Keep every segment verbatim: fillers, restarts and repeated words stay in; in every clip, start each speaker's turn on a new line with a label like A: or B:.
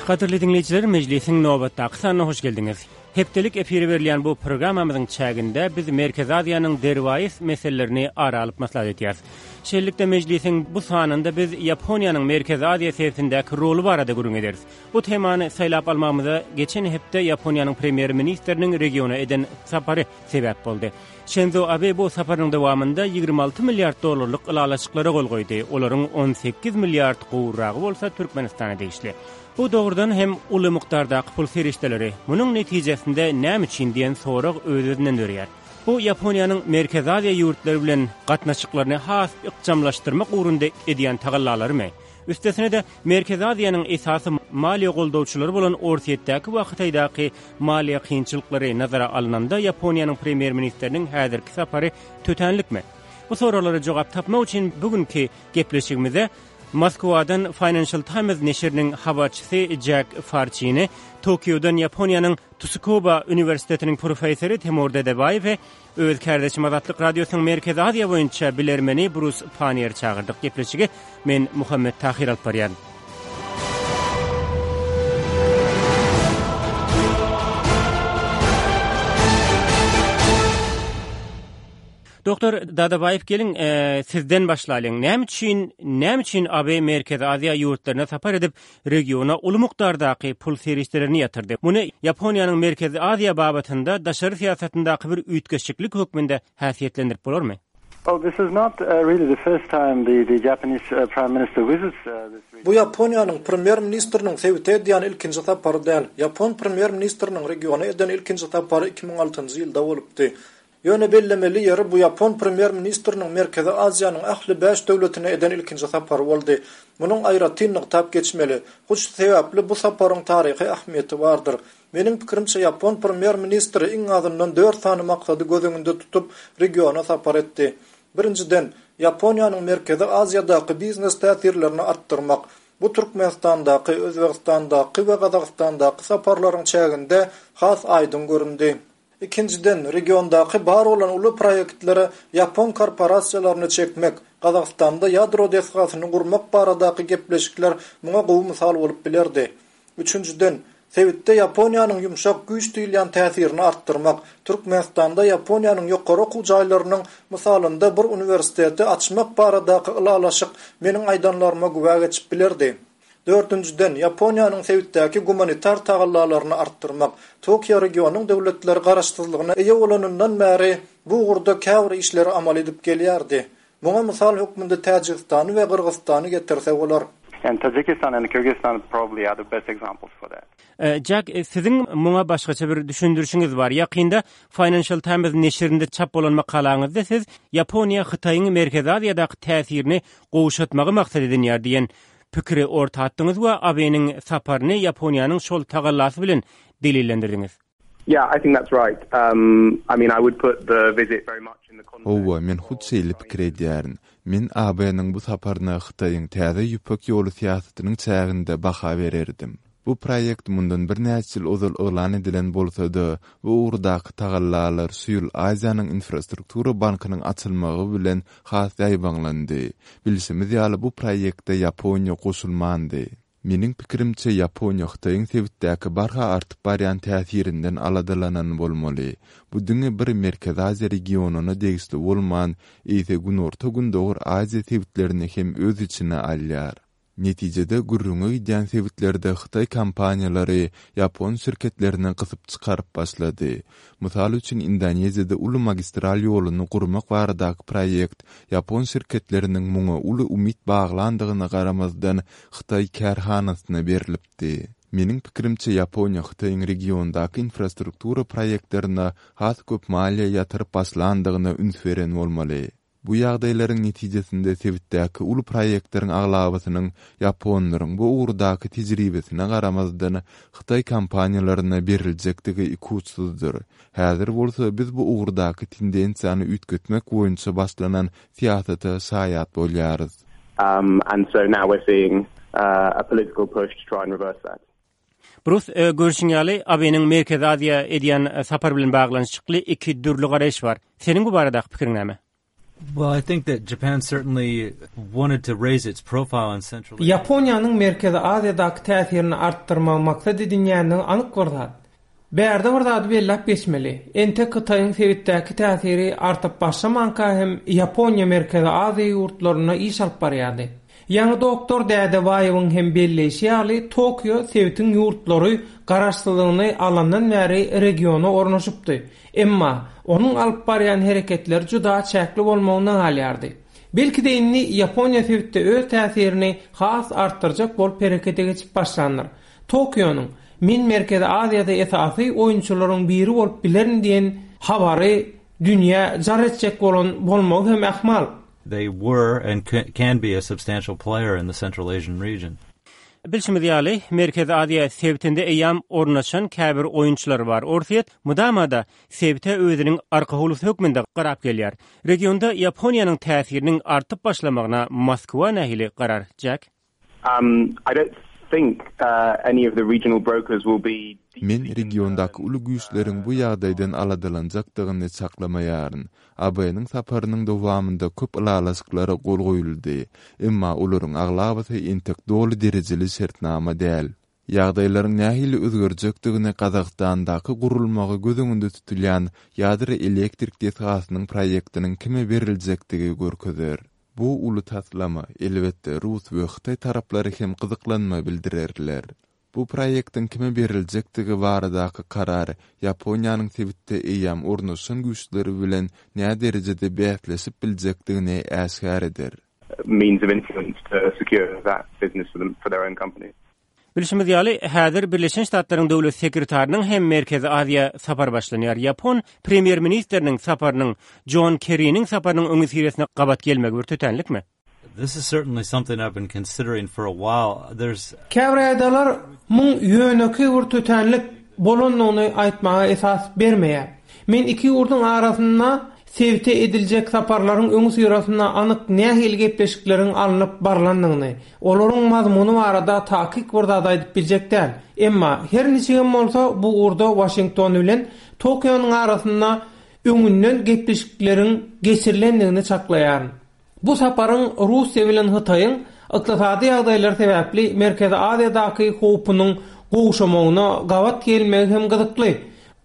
A: Gadyrly diňleýjiler, mejlisiň nobatdaky sanyna hoş geldiňiz. Hepdelik efire berilýän bu programmamyzyň çäginde biz Merkezi Aziýanyň derwaýys meselelerini ara alyp maslahat edýäris. Şeýlelikde mejlisiň bu sanynda biz Ýaponiýanyň Merkezi Aziýa sebitindäki roly barada gürrüň ederis. Bu temany saýlap almagymyza geçen hepde Ýaponiýanyň premýer-ministriniň regiona eden sapary sebäp boldy. Şinzo Abe bu saparynyň dowamynda ýigrimi alty milliard dollarlyk ylalaşyklara gol goýdy. Olaryň on sekiz milliard gowragy bolsa Türkmenistana degişli. Bu dogrudan hem uly mukdardaky pul serişdeleri. Munuň netijesinde näme üçin diýen sorag öz-özünden döreýär. Bu Ýaponiýanyň Merkezi Aziýa ýurtlary bilen gatnaşyklaryny has ykjamlaşdyrmak ugrunda edýän tagallalarymy? Üstesine-de Merkezi Aziýanyň esasy maliýe goldawçylary bolan Orsýetdäki we Hytaýdaky maliýe kynçylyklary nazara alnanda Ýaponiýanyň premýer-ministriniň häzirki sapary tötänlikmi? Bu soraglara jogap tapmak üçin bugünkü gepleşigimize Moskwadan Financial Times neşiriniň habarçysy Jack Farçini, Tokiodan Ýaponiýanyň Tsukuba Uniwersitetiniň professory Timur Dedebaýewi, öz kärdeşim Azatlyk Radiosynyň Merkezi Aziýa boýunça bilermeni Brus Panier çagyrdyk. Gepleşigi men Muhammet Tahir alyp barýan. Doktor Dadabaýew, geliň, e, sizden başlalyň. Näme üçin, näme üçin A B Merkezi Aziýa ýurtlaryna sapar edip, regiona uly mukdardaky pul serişdelerini ýatyrdy? Muny Ýaponiýanyň Merkezi Aziýa babatynda daşary syýasatyndaky bir üýtgeşiklik hökmünde häsiýetlendirip bolarmy?
B: Well, this is not, uh, really the first time the, the Japanese, uh, Prime Minister visits, uh, this region.
C: Bu Ýaponiýanyň premýer-ministriniň sebite edýän ilkinji sapary däl. Ýapon premýer-ministriniň regiona eden ilkinji sapary iki müň altynjy ýylda bolupdy. Ýöne bellemeli ýeri bu Ýapon premýer-ministriniň Merkezi Aziýanyň ähli bäş döwletine eden ilkinji sapary boldy. Munuň aýratyn nygtap geçmeli. Hut şu sebäpli bu saparyň taryhy ähmiýeti bardyr. Meniň pikirimçe Ýapon premýer-ministri iň azyndan dört sany maksady göz öňünde tutup regiona sapar etdi. Birinjiden, Ýaponiýanyň Merkezi Aziýadaky biznes täsirlerini artdyrmak. Bu Türkmenistandaky, Özbegistandaky we Gazagystandaky saparlaryň çäginde has aýdyň göründi. Ikinjiden, regiondaky bar bolan uly proýektlere Ýapon korporasiýalaryny çekmek, Gazagystanda ýadro desgasyny gurmak baradaky gepleşikler muňa gowy mysal bolup bilerdi. Üçünjiden, sebitde Ýaponiýanyň ýumşak güýç diýilýän täsirini artdyrmak, Türkmenistanda Ýaponiýanyň ýokary okuw jaýlarynyň mysalynda bir uniwersiteti açmak baradaky ylalaşyk meniň aýdanlaryma güwä geçip bilerdi. Dördünjiden, Ýaponiýanyň sebitdäki gumanitar tagallalaryny artdyrmak, Tokio regionyň döwletleri garaşsyzlygyna eýe bolanyndan bäri bu ugurda käbir işleri amal edip gelýärdi. Muňa mysal hökmünde Täjigistany we Gyrgyzystany getirse bolar.
B: And Tajikistan and Kyrgyzstan probably are the best examples for that.
A: E, Jack, e, siziň muňa başgaça bir düşündirişiňiz bar. Ýakynda Financial Times neşirinde çap bolan makalaňyzda siz Ýaponiýa Hytaýyň Merkezi Aziýadaky täsirini gowşatmagy maksat edinýär diýen pikiri orta atdyňyz we A B-niň saparyny Ýaponiýanyň şol tagallasy bilen delillendirdiňiz.
D: Yeah, I think that's right. Um, I mean, I would put the visit very much in the context.
E: Hawa, men hut şeýle pikir edýärin. Men A B-niň bu saparyna Hytaýyň täze ýüpek ýoly syýasatynyň çäginde baha bererdim. Bu proýekt mundan birnäçe ýyl ozal yglan edilen bolsa-da, bu ugurdaky tagallalar şu ýyl Aziýanyň infrastruktura bankynyň açylmagy bilen has ýaýbaňlandy. Bilşimiz ýaly, bu proýektde Ýaponiýa goşulmandy. Meniň pikirimçe, Ýaponiýa Hytaýyň sebitdäki barha artyp barýan täsirinden aladalanan bolmaly. Bu diňe bir Merkezi Aziýa regionyna degişli bolman, eýse Günorta-Gündogar Aziýa sebitlerini hem öz içine alýar. Netijede gürrüňe gidýän sebitlerde Hytaý kompaniýalary ýapon şirketlerini gysyp çykaryp başlady. Mysal üçin, Indoneziýada uly magistral ýoluny gurmak baradaky proýekt ýapon şirketleriniň muňa uly umyt baglandygyna garamazdan Hytaý kärhanasyna berilipdi. Meniň pikirimçe, Ýaponiýa Hytaýyň regiondaky infrastruktura proýektlerine has köp maliýe ýatyryp başlandygyna üns beren bolmaly. Bu ýagdaýlaryň netijesinde sebitdäki uly proýektleriň aglabasynyň ýaponlaryň bu ugurdaky tejribesine garamazdan Hytaý kompaniýalaryna beriljekdigi ikuçsuzdyr. Häzir bolsa biz bu ugurdaky tendensiýany üýtgetmek boýunça başlanan syýasata şaýat bolýarys.
D: Um, and so now we're seeing, uh, a political push to try and reverse that.
A: Brus, e, görüşüň ýaly, A B-niň Merkezi Aziýa edýän, e, sapar bilen baglanyşykly iki dürli garaýyş bar. Seniň bu baradaky pikiriň näme?
F: Well, I think that Japan certainly wanted to raise its profile in Central Asia.
G: Ýaponiýanyň Merkezi Aziýadaky täsirini artdyrmagy maksat edinýändigi anyk bir zat. Bärde bir zady belläp geçmeli. Entek Hytaýyň sebitdäki täsiri artyp başlamanka hem Ýaponiýa Merkezi Aziýa ýurtlarynda iş alyp barýardy. Ýaňy doktor Dädebaýewiň hem belleýşi ýaly, Tokio sebitiň ýurtlary garaşsyzlygyny alandan bäri regiona ornaşypdy. Emma onuň alyp barýan hereketleri juda çäkli bolmagynda galýardy. Belki-de indi Ýaponiýa sebitde öz täsirini has artdyrjak bolup herekete geçip başlandyr. Tokionyň Men Merkezi Aziýada esasy oýunçylaryň biri bolup bilerin diýen habary dünýä jar etjek bolan bolmagy hem ähtimal.
F: They were and can be a substantial player in the Central Asian region.
A: Bilşimiz ýaly, Merkezi Aziýa sebitinde eýýäm ornaşan käbir oýunçylar bar. Orsýet mydama-da sebite özüniň arka howlusy hökmünde garap gelýär. Regionda Ýaponiýanyň täsiriniň artyp başlamagyna Moskwa nähili garar, Jack?
D: Um, I don't think uh, any of the regional brokers will be
E: Men regiondaky uly güýçleriň bu ýagdaýdan aladalanjakdygyny çaklamaýaryn. A B-niň saparynyň dowamynda köp ylalaşyklara gol goýuldy, emma olaryň aglabasy entek doly derejeli şertnama däl. Ýagdaýlaryň nähili özgerjekdigini Gazagystandaky gurulmagy göz öňünde tutulýan ýadro elektrik desgasynyň proýektiniň kime beriljekdigi görkezer. Bu uly taslama, elbetde, rus we hytaý taraplary hem gyzyklanma bildirerler. Bu proýektiň kime beriljekdigi baradaky karar Ýaponiýanyň sebitde eýýäm ornaşan güýçleri bilen näderejede bäsleşip biljekdigini äşgär eder.
D: Means of influence to secure that business for them, for their own company.
A: Bilşimiz ýaly, häzir Birleşen Ştatlaryň döwlet sekretarynyň hem Merkezi Aziýa sapar başlanýar. Ýapon premýer-ministriniň saparynyň John Kerry'niň saparynyň öňüsyrasyna gabat gelmegi bir tötänlikmi?
F: This is certainly something I've been considering for a while. There's
G: Käbir ýagdaýlar muň ýönekeý bir tötänlik bolandygyny aýtmaga esas bermeýär. Men iki ýurduň arasynda sebite ediljek saparlaryň öňüsyrasynda anyk nähili gepleşikleriň alnyp barlandygyny, olaryň mazmuny barada takyk bir zat aýdyp biljek däl. Emma her niçigem bolsa bu ugurda Washington bilen Tokionyň arasynda öňünden gepleşikleriň geçirilendigini çaklaýaryn. Bu saparyň Russiýa bilen Hytaýyň ykdysady ýagdaýlar sebäpli Merkezi Aziýadaky howpunyň gowşamagyna gabat gelmegi hem gyzykly.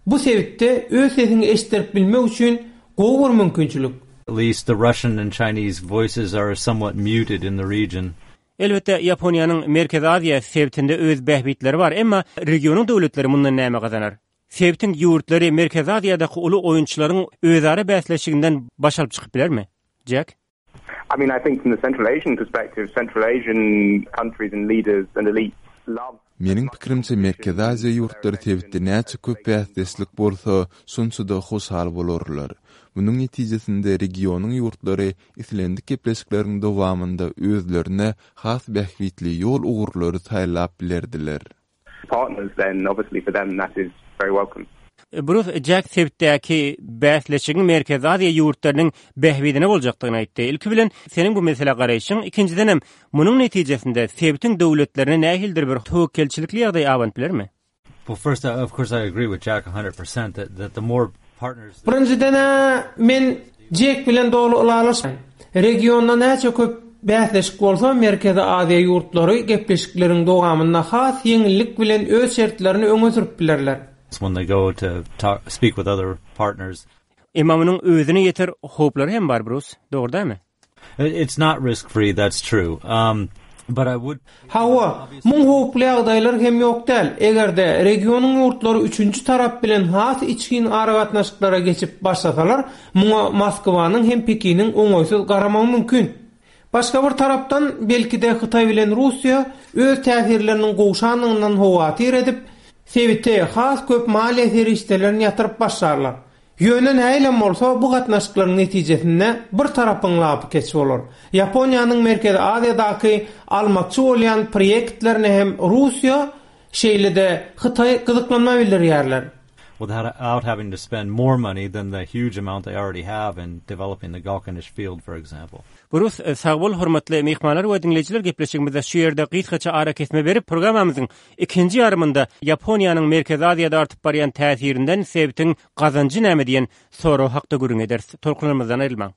G: Bu sebitde öz sesiňi eşitdirip bilmek üçin gowy bir mümkinçilik.
F: At least the Russian and Chinese voices are somewhat muted in the region.
A: Elbetde, Ýaponiýanyň Merkezi Aziýa sebitinde öz bähbitleri bar, emma regionyň döwletleri mundan näme gazanar? Sebitiň ýurtlary Merkezi Aziýadaky uly oýunçylaryň özara bäsleşiginden baş alyp çykyp bilermi? Jack?
D: I mean, I think from the Central Asian perspective, Central Asian countries and leaders and elites love
E: Meniň pikirimçe Merkezi Aziýa ýurtlary sebitde näçe köp bäsdeşlik bolsa, şonça-da hoşal bolarlar. Munuň netijesinde regionyň ýurtlary islendik gepleşikleriň dowamynda özlerine has bähbitli ýol ugurlary saýlap bilerdiler.
D: Partners, then obviously for them that is very welcome.
A: Bruce, Jack sebitdäki bäsleşigiň Merkezi Aziýa ýurtlarynyň bähbidine boljakdygyny aýtdy. Ilki bilen seniň bu meselä garaýşyň, ikinjiden hem munuň netijesinde sebitiň döwletlerine nähilidir bir töwekgelçilikli ýagdaý abanyp bilermi?
F: Well, first, uh, of course, I agree with Jack one hundred percent that, that the more partners
G: Birinjiden men Jack bilen doly ylalaşman. Regionda näçe köp bäsleşik bolsa, Merkezi Aziýa ýurtlary gepleşikleriň dowamynda has ýeňillik bilen öz şertlerini öňe sürüp bilerler.
F: When they go to talk, speak with other partners.
A: Emma munuň özüne ýeter howplary hem bar, Bruce. Dogry dälmi?
F: It's not risk free, that's true. Um, but I would
G: Hawa, muň howply ýagdaýlar hem ýok däl. Eger-de regionyň ýurtlary üçünji tarap bilen has içgin aragatnaşyklara geçip başlasalar, muňa Moskwanyň hem Pekiniň oňaýsyz garamagy mümkin. Başga bir tarapdan belki-de Hytaý bilen Russiýa öz täsirleriniň gowşandygyndan howatyr edip, sebite has köp maliýe serişdelerini ýatyryp başlarlar. Ýöne nähilem bolsa bu gatnaşyklaryň netijesinde bir tarapyň lapy keç bolar. Ýaponiýanyň Merkezi Aziýadaky almakçy bolýan proýektlerine hem Russiýa, şeýle-de Hytaý gyzyklanma bildirýärler.
F: Without having to spend more money than the huge amount they already have in developing the Galkynysh field, for example.
A: Bruce, sag bol, hormatly myhmanlar we diňleýjiler, gepleşigimizde şu ýerde gysgaça ara kesme berip, programmamyzyň ikinji ýarymynda Ýaponiýanyň Merkezi Aziýada artyp barýan täsirinden sebitiň gazanjy näme diýen sorag hakda gürrüň ederis. Tolkunlarymyzdan aýrylmaň.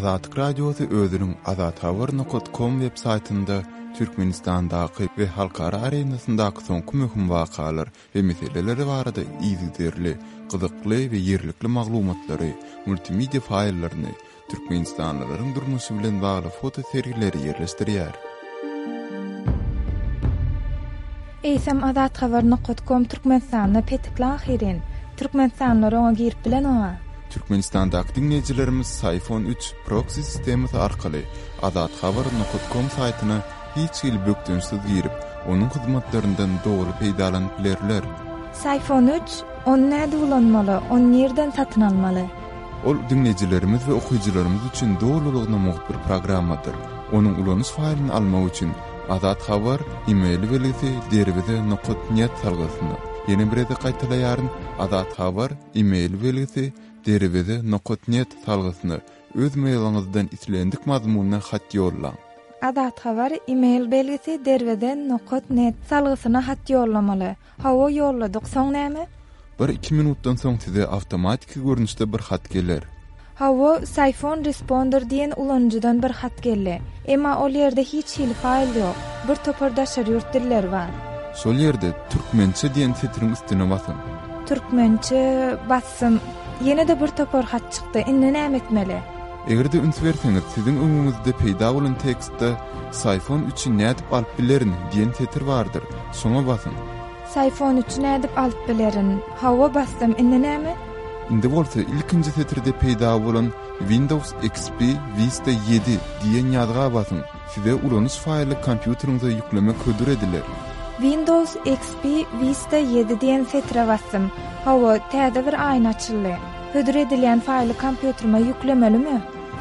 E: Azatlyk Radiosy özüniň azathabar nokat com web saýtynda Türkmenistandaky we halkara arenasyndaky soňky möhüm wakalar we meseleleri barada yzygiderli, gyzykly we ýerlikli maglumatlary, multimedia faýllaryny, Türkmenistanlylaryň durmuşy bilen bagly foto sergileri ýerleşdirýär.
H: Eýsem azathabar nokat com Türkmenistanda petikli ahyrin. Türkmenistanlylar oňa girip bilen oňa.
E: Türkmenistandaky diňleýjilerimiz Psiphon üç proxy sistemasy arkaly azathabar nokat com saýtyna hiç hili bökdençsiz girip, onuň hyzmatlaryndan doly peýdalanyp bilerler.
H: Psiphon üç, ony näde ulanmaly, ony nirden satyn almaly?
E: Ol diňleýjilerimiz we okyjylarymyz üçin dolulygyna mugt bir programmadyr. Onuň ulanyş faýlyny almak üçin Azat Habar e-mail belgisi derweze nokat net salgysyna. Ýene bir gezek gaýtalaýaryn, Azat Habar e-mail belgisi derweze nokat net salgysyna öz mailiňizden islendik mazmunly hat ýollaň.
H: Azat Habar e-mail belgisi derweze nokat net salgysyna hat ýollamaly. Hawa ýolladyk, soň näme?
E: Bir iki minutdan soň size awtomatiki görnüşde bir hat geler.
H: Hawa, Psiphon Responder diýen ulanyjydan bir hat geldi. Emma ol ýerde hiç hili faýl ýok. Bir topar daşary ýurt dilleri bar.
E: Şol ýerde türkmençe diýen setiriň üstüne basyň.
H: Türkmençe bassym. Ýene-de bir topar hat çykdy. Indi näme etmeli?
E: Eger-de üns berseňiz, siziň öňüňizde peýda bolan tekstde Psiphon üçi nädip alyp bilerin diýen setir bardyr. Şoňa basyň.
H: Psiphon üçi nädip alyp bilerin? Hawa bassym. Indi näme?
E: Indi bolsa ilkinji setirde peýda bolan Windows X P Vista ýedi diýen ýazga basyň. Size ulanyş faýly kompýuteriňize ýüklemek hödür ediler.
H: Windows X P Vista ýedi diýen setire bassym. Hawa, täze bir aýna açyldy. Hödür edilýän faýly kompýuterime ýüklemelimi?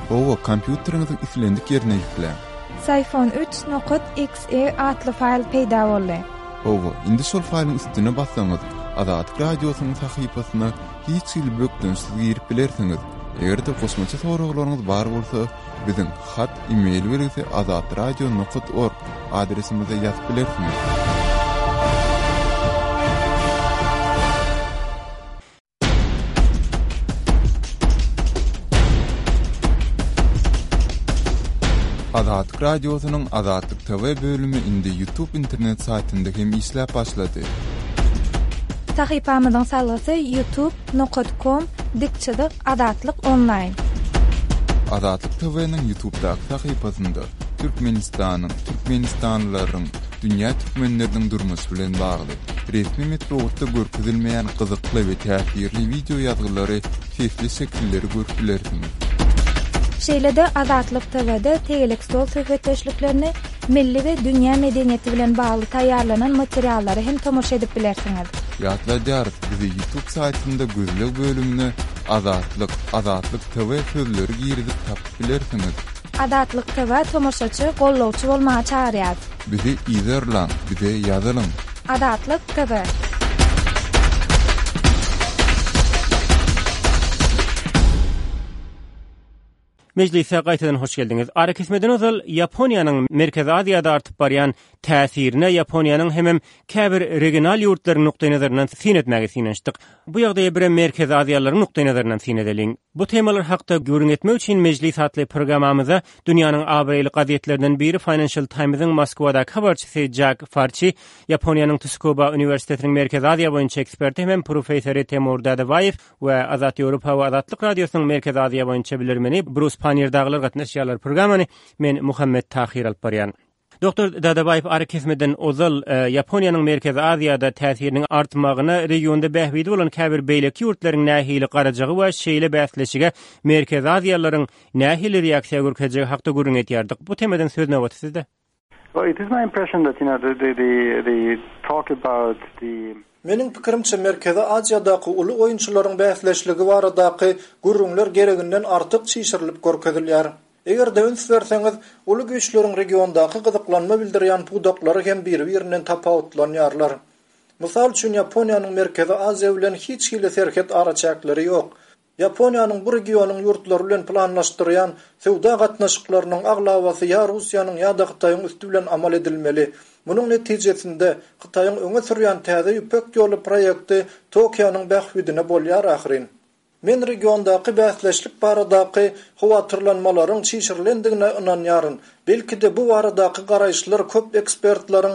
E: Hawa, kompýuteriňiziň islendik ýerine ýükläň.
H: Psiphon üç nokat X E atly faýl peýda boldy.
E: Hawa, indi şol faýlyň üstüne bassaňyz, Azatlyk Radiosynyň sahypasyna hiç hili bökdençsiz girip bilersiňiz. Eger-de goşmaça soraglaryňyz bar bolsa, biziň hat e-mail belgisi azatradio nokat org adresimize ýazyp bilersiňiz. Azatlyk Radiosynyň Azatlyk T V bölümi indi YouTube internet saýtynda hem işläp başlady.
H: Sahypamyzyň salgysy youtube nokat com dikçizik Azatlyk onlaýn.
E: Azatlyk T V-niň YouTube'daky sahypasynda Türkmenistanyň, Türkmenistanlylaryň, dünýä türkmenleriniň durmuşy bilen bagly resmi metbugatda görkezilmeýän gyzykly we täsirli video ýazgylary, sesli şekilleri görüp bilersiňiz.
H: Şeýle-de Azatlyk T V-de tegelek stol söhbetdeşliklerini milli we dünýä medeniýeti bilen bagly taýýarlanan materiallary hem tomaşa edip bilersiňiz.
E: Ýatladýarys, bizi YouTube saýtynda gözleg bölümine Azatlyk, Azatlyk T V sözleri girizip tapyp bilersiňiz.
H: Azatlyk T V tomaşaçy, gollawçy bolmaga çagyrýar.
E: Bizi izerlaň, bize ýazylyň.
H: Azatlyk T V.
A: Meclise gaýtadan hoş geldiňiz. Ara kesmeden ozal Ýaponiýanyň Merkezi Aziýada artyp barýan täsirine Ýaponiýanyň hemem käbir regional ýurtlaryň nukdaý-nazaryndan syn etmäge synanyşdyk. Bu ýagdaýa bir Merkezi Aziýalaryň nukdaý-nazaryndan syn edeliň. Bu temalar hakda gürrüň etmek üçin Meclis atly programmamyza dünýäniň abraýly gazetlerinden biri Financial Times'ın Moskwadaky habarçysy Jack Farçi, Ýaponiýanyň Tsukuba Uniwersitetiniň Merkezi Aziýa boýunça eksperti hemem professory Temur Dadabaýew we Azat Ýewropa we Azatlyk Radiosynyň Merkezi Aziýa boýunça bilermeni Brus Pannier daglar gatnaşýarlar. Programmany men Muhammet Tahir alyp barýan. Doktor Dadabaýew ara kesmeden ozal, e, Ýaponiýanyň Merkezi Aziýada täsiriniň artmagyna regionda bähbidi bolan käbir beýleki ýurtlaryň nähili garajagy we şeýle bäsleşige Merkezi Aziýalaryň nähili reaksiýa görkezjegi hakda gürrüň etýärdik. Bu temadan söz nobaty sizde.
B: Well, it is my impression that, you know, the, the, the, the talk about the
C: Meniň pikirimçe Merkezi Aziýadaky uly oýunçylaryň bäsleşligi baradaky gürrüňler gereginden artyk çişirilip görkezilýär. Eger-de üns berseňiz, uly güýçleriň regiondaky gyzyklanma bildirýän pudaklary hem bir-birinden tapawutlanýarlar. Mysal üçin Ýaponiýanyň Merkezi Aziýa bilen hiç hili serhet araçäkleri ýok. Ýaponiýanyň bu regionyň ýurtlary bilen planlaşdyrýan söwda gatnaşyklarynyň aglabasy ýa Russiýanyň ýa-da Hytaýyň üsti bilen amal edilmeli. Munuň netijesinde Hytaýyň öňe sürýän täze ýüpek ýoly proýekti Tokionyň bähbidine bolýar ahyryn. Men regiondaky bäsleşlik baradaky howatyrlanmalaryň çişirilendigine ynanýaryn. Belki-de bu baradaky garaýyşlar köp ekspertleriň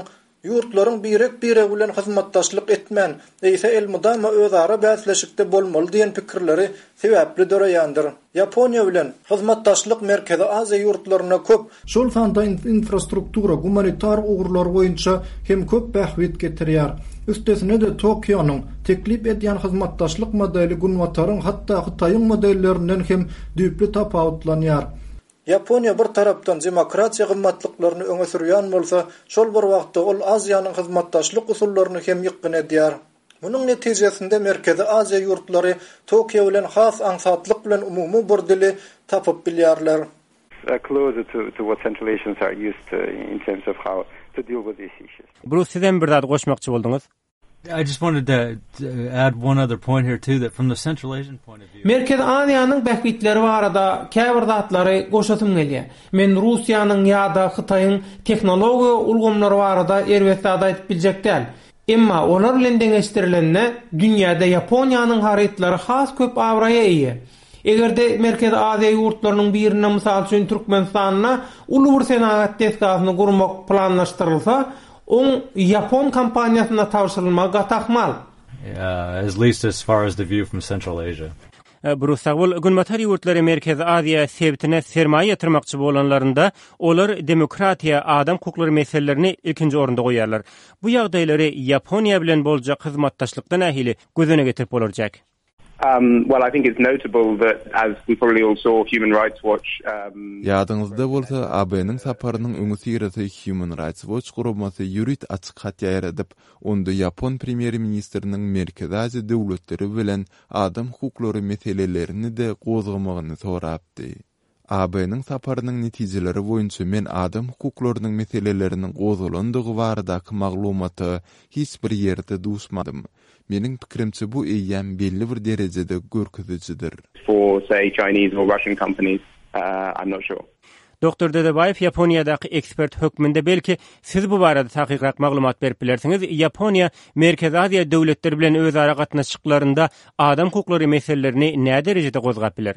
C: ýurtlaryň birek-biregi bilen hyzmatdaşlyk etmän, eýse elmydama özara bäsleşikde bolmaly diýen pikirleri sebäpli döreýändir. Ýaponiýa bilen hyzmatdaşlyk Merkezi Aziýa ýurtlaryna köp, şol sanda infrastruktura, gumanitar ugurlar boýunça hem köp bähbit getirýär. Üstesine-de Tokionyň teklip edýän hyzmatdaşlyk modeli Günbataryň hatda Hytaýyň modellerinden hem düýpli tapawutlanýar. Ýaponiýa bir tarapdan demokratiýa gymmatlyklaryny öňe sürýän bolsa, şol bir wagtda ol Aziýanyň hyzmatdaşlyk usullaryny hem ýykgyn edýär. Munuň netijesinde Merkezi Aziýa ýurtlary Tokio bilen has aňsatlyk bilen umumy bir dili tapyp bilýärler.
D: closer to, to what Central Asians are used to in terms of how to deal with these issues.
A: Bruce siz hem bir zat goşmakçy bolduňyz.
F: I just wanted to, to add one other point here too that from the Central Asian point of view.
G: Merkezi Aziýanyň bähbitleri barada käbir zatlary goşasym gelýär. Men Russiýanyň ýa-da Hytaýyň tehnologiýa ulgamlary barada erbet zat aýdyp biljek däl. Emma olar bilen deňeşdirilende dünýäde Ýaponiýanyň harytlary has köp abraýa eýe. Eger-de Merkezi Aziýa ýurtlarynyň birinde mysal üçin Türkmenistanda uly bir senagat desgasyny gurmak planlaşdyrylsa, oň Ýapon kompaniýasyna tabşyrylmagy gaty ahmal.
F: Uh, at least as far as the view from Central Asia.
A: Bruce sag bol. Günbatar ýurtlary Merkezi Aziýa sebitine sermaýa ýatyrmakçy bolanlarynda olar demokratiýa, adam hukuklary meselelerini ilkinji orunda goýarlar. Bu ýagdaýlary Ýaponiýa bilen boljak hyzmatdaşlykda nähili göz öňüne getirip bolarjak?
D: Um, well, I think it's notable that, as we probably all saw, Human Rights Watch... Um,
E: Ýadyňyzda bolsa, A B-niň saparynyň öňüsyrasy Human Rights Watch guramasy ýörite açyk hat ýaýradyp, onda Ýapon premýer-ministriniň Merkezi Aziýa döwletleri bilen adam hukuklary meselelerini-de gozgamagyny sorapdy. A B-niň saparynyň netijeleri boýunça men adam hukuklarynyň meseleleriniň gozgalandygy baradaky maglumata hiç bir ýerde duşmadym. Meniň pikirimçe bu eýýäm belli bir derejede görkezijidir.
D: For say Chinese or Russian companies, uh, I'm not sure.
A: Doktor Dedebaýew, Ýaponiýadaky ekspert hökmünde belki siz bu barada takykrak maglumat berip bilersiňiz. Ýaponiýa Merkezi Aziýa döwletleri bilen özara gatnaşyklarynda adam hukuklary meselelerini nä derejede gozgap biler?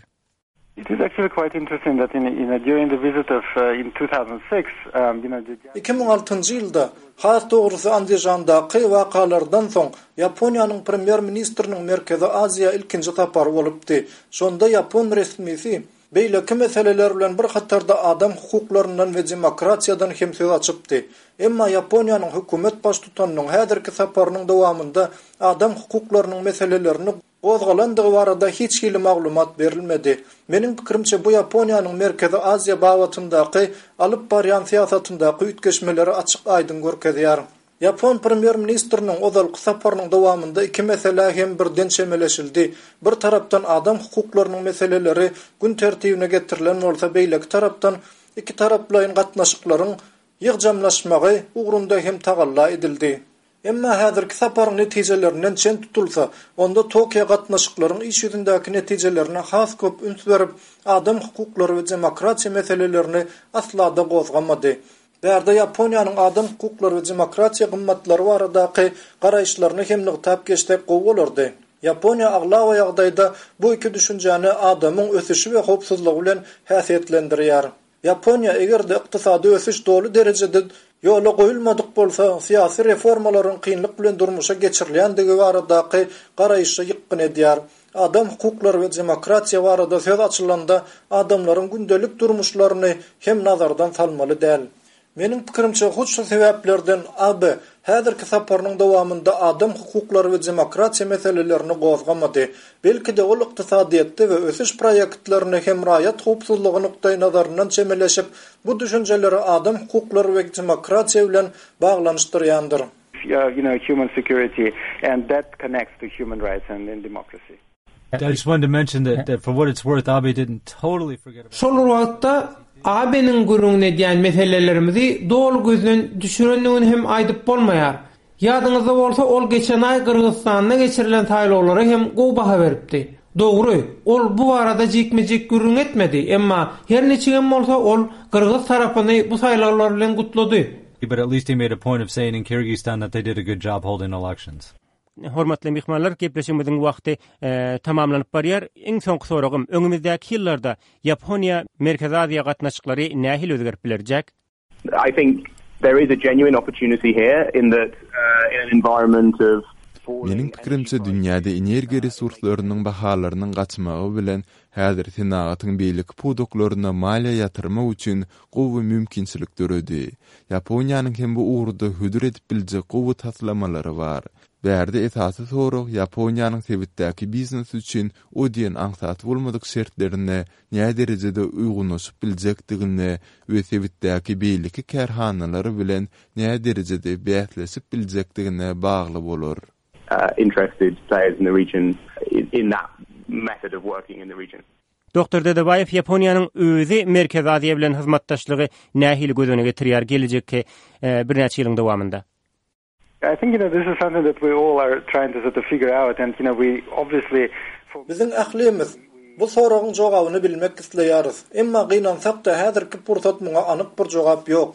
B: It is actually quite interesting that in, in during the visit of uh, in two thousand six, um, you know, the
C: iki müň altynjy ýylda, has dogrusy Andijandaky wakalardan soň Ýaponiýanyň premýer-ministriniň Merkezi Aziýa ilkinji sapary bolupdy. Şonda ýapon resmisi beýleki meseleler bilen bir hatarda adam hukuklaryndan we demokratiýadan hem söz açypdy. Emma Ýaponiýanyň hökümet baştutanynyň häzirki saparynyň dowamynda adam hukuklarynyň meselelerini gozgalandygy barada hiç hili maglumat berilmedi. Meniň pikirimçe bu Ýaponiýanyň Merkezi Aziýa babatyndaky alyp barýan syýasatyndaky üýtgeşmeleri açyk aýdyň görkezýär. Ýapon premýer-ministriniň ozalky saparynyň dowamynda iki mesele hem birden çemeleşildi. Bir tarapdan adam hukuklarynyň meseleleri gün tertibine getirilen bolsa, beýleki tarapdan iki taraplaýyn gatnaşyklaryň ýygjamlaşmagy ugrunda hem tagalla edildi. Emma häzirki saparyň netijelerinden çen tutulsa, onda Tokio gatnaşyklaryň iş ýüzündäki netijelerine has köp üns berip, adam hukuklary we demokratiýa meselelerini asla-da gozgamady. Bärde Ýaponiýanyň adam hukuklary we demokratiýa gymmatlary baradaky garaýyşlaryny hem nygtap geçsek gowy bolardy. Ýaponiýa aglaba ýagdaýda bu iki düşünjäni adamyň ösüşi we howpsuzlygy bilen häsiýetlendirýär. Ýaponiýa eger-de ykdysady ösüş doly derejede ýola goýulmadyk bolsa, syýasy reformalaryň kynlyk bilen durmuşa geçirilýändigi baradaky garaýşa ýykgyn edýär. Adam hukuklary we demokratiýa barada söz açylanda adamlaryň gündelik durmuşlaryny hem nazardan salmaly däl. Meniň pikirimçe hut şu sebäplerden A B häzirki saparynyň dowamynda adam hukuklary we demokratiýa meselelerini gozgamady. Belki-de ol ykdysadyýetde we ösüş proýektlerine hem raýat howpsuzlygy nukdaý nazaryndan çemeleşip, bu düşünjeleri adam hukuklary we demokratiýa bilen baglanyşdyrýandyr.
B: you know, human security, and that connects to human rights and, and democracy.
F: I just wanted to mention that, that for what it's worth, Abe didn't totally forget about
G: Şol wagtda A B-niň gürrüňini edýän meselelerimizi doly gözden düşürendigini hem aýdyp bolmaýar. Ýadyňyzda bolsa, ol geçen aý Gyrgyzystanda geçirilen saýlawlara hem gowy baha beripdi. Dogry, ol bu barada jikme-jik gürrüň etmedi, emma her niçigem bolsa ol Gyrgyz tarapyny bu saýlawlar bilen gutlady.
F: But at least he made a point of saying in Kyrgyzstan that they did a good job holding elections.
A: Hormatly myhmanlar, gepleşigimiziň wagty e, tamamlanyp barýar. Iň soňky soragym, öňümizdäki ýyllarda Ýaponiýa Merkezi Aziýa gatnaşyklary nähili özgerip biler, Jack?
D: I think there is a genuine opportunity here in that uh, in an environment of
E: Meniň pikirimçe dünýäde energiýa resurslarynyň bahalarynyň gaçmagy bilen häzir senagatyň beýleki pudaklaryna maliýe ýatyrmak üçin gowy mümkinçilik döredi. Ýaponiýanyň hem bu ugurda hödür edip biljek gowy taslamalary bar. Bärde esasy sorag Ýaponiýanyň sebitdäki biznes üçin o diýen aňsat bolmadyk şertlerine näderejede derejede uýgunlaşyp biljekdigine we sebitdäki beýleki kärhanalar bilen näderejede bäsleşip biljekdigine bagly bolar.
D: uh, interested players in the region in, in that method of working in the region.
A: Doktor Dedebaýew Ýaponiýanyň özi Merkezi Aziýa bilen hyzmatdaşlygy nähili göz öňüne getirýär gelejekki e, birnäçe ýylyň dowamynda?
B: I think you know this is something that we all are trying to sort of figure out and you know we obviously
C: Biziň ählimiz bu soragyň jogabyny bilmek isleýäris. Emma gynansak-da häzirki pursat muňa anyk bir jogap ýok.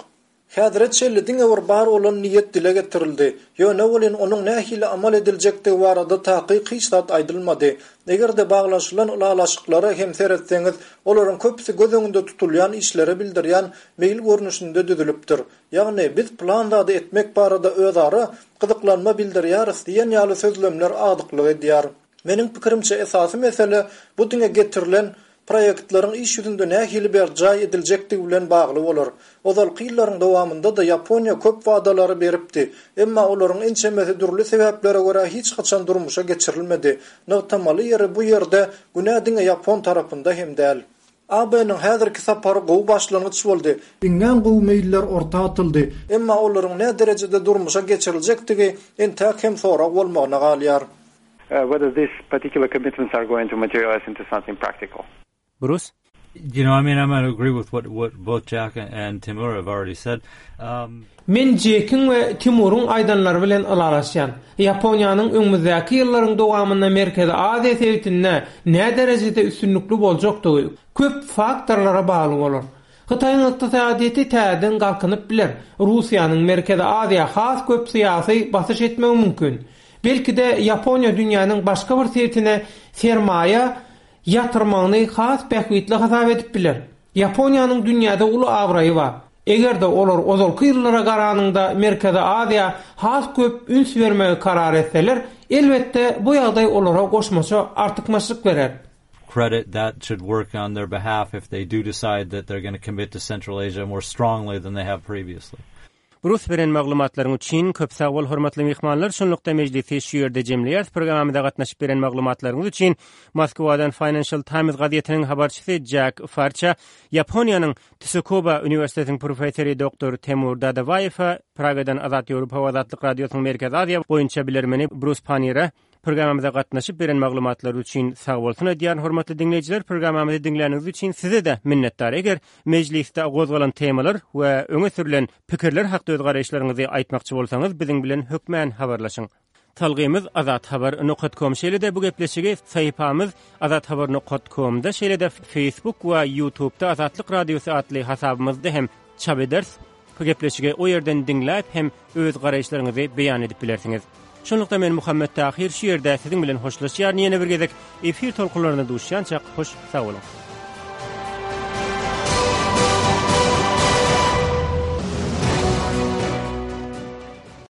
C: Häzire çenli diňe bir bar bolan niýet dile getirildi. Ýöne welin onuň nähili amal ediljekdigi barada takyk hiç zat aýdylmady. Eger-de baglaşylan ylalaşyklara hem seretseňiz, olaryň köpüsi göz öňünde tutulýan işlere bildirýän meýil görnüşinde düzülipdir. Ýagny biz plan zady etmek barada özara gyzyklanma bildirýäris diýen ýaly sözlemler agdyklyk edýär. Meniň pikirimçe esasy mesele bu diňe getirilen proýektleriň iş ýüzünde nähili berjaý ediljekdigi bilen bagly bolar. Ozalky ýyllaryň dowamynda-da Ýaponiýa köp wadalary beripdi. Emma olaryň ençemesi dürli sebäplere görä hiç haçan durmuşa geçirilmedi. Nygtamaly ýeri bu ýerde günä diňe Ýapon tarapynda hem däl. A B-niň häzirki sapary gowy başlangyç boldy. Iňňän gowy meýiller orta atyldy. Emma olaryň ne derejede durmuşa geçiriljekdigi entäk hem sorag bolmagyna galýar.
B: uh, whether these particular commitments are going to materialize into something practical.
A: Bruce?
F: You know, I mean, I'm going to agree with what, what both Jack and Timur have already said. Um,
G: Men Jackiň we Timuryň aýdanlary bilen ylalaşýan. Ýaponiýanyň öňümizdäki ýyllaryň dowamynda Merkezi Aziýa sebitinde ne derejede üstünlikli boljakdygy köp faktorlara bagly bolar. Hytaýyň ykdysadyýeti täzeden galkynyp biler. Russiýanyň Merkezi Aziýa has köp syýasy basyş etmegi mümkin. Belki-de Ýaponiýa dünýäniň başga bir sebitine sermaýa ýatyrmagyny has bähbitli hasap edip biler. Ýaponiýanyň dünýäde uly abraýy bar. Eger-de olar ozalky ýyllara garanyňda Merkezi Aziýa has köp üns bermegi karar etseler, elbetde bu ýagdaý olara goşmaça artykmaçlyk berer.
F: Credit that should work on their behalf if they do decide that they're going to commit to Central Asia more strongly than they have previously.
A: Bruce, beren maglumatlaryň üçin köp sag bol. Hormatly myhmanlar, şunlukda mejlisi şu ýerde jemleýäris. Programmamyza gatnaşyp beren maglumatlaryňyz üçin Moskwadan Financial Times gazetiniň habarçysy Jack Farça, Ýaponiýanyň Tsukuba Uniwersitetiniň professory doktor Temur Dadabaýewa, Pragadan Azat Ýewropa Azatlyk Radiosynyň Merkezi Aziýa boýunça bilermeni Bruce Panniýere programmamyza gatnaşyp beren maglumatlary üçin sag bolsun aýdýan. Hormatly diňleýjiler, programmamyzy diňläniňiz üçin size-de minnetdar. Eger mejlisde gozgalan temalar we öňe sürülen pikirler hakda öz garaýyşlaryňyzy aýtmakçy bolsaňyz, biziň bilen hökmän habarlaşyň. Salgymyz azathabar nokta com. Şeýle-de bu gepleşigi sahypamyz azathabar nokta comda, şeýle-de Facebook we YouTube'da Azatlyk Radiosy atly hasabymyzda hem çap ederis. Bu gepleşigi o ýerden diňläp hem öz garaýyşlaryňyzy beýan edip bilersiňiz. Şunlukda men Muhammet Tahir şu ýerde siziň bilen hoşlaşýaryn. Ýene bir gezek efir tolkunlarynda duşýançak hoş sag boluň.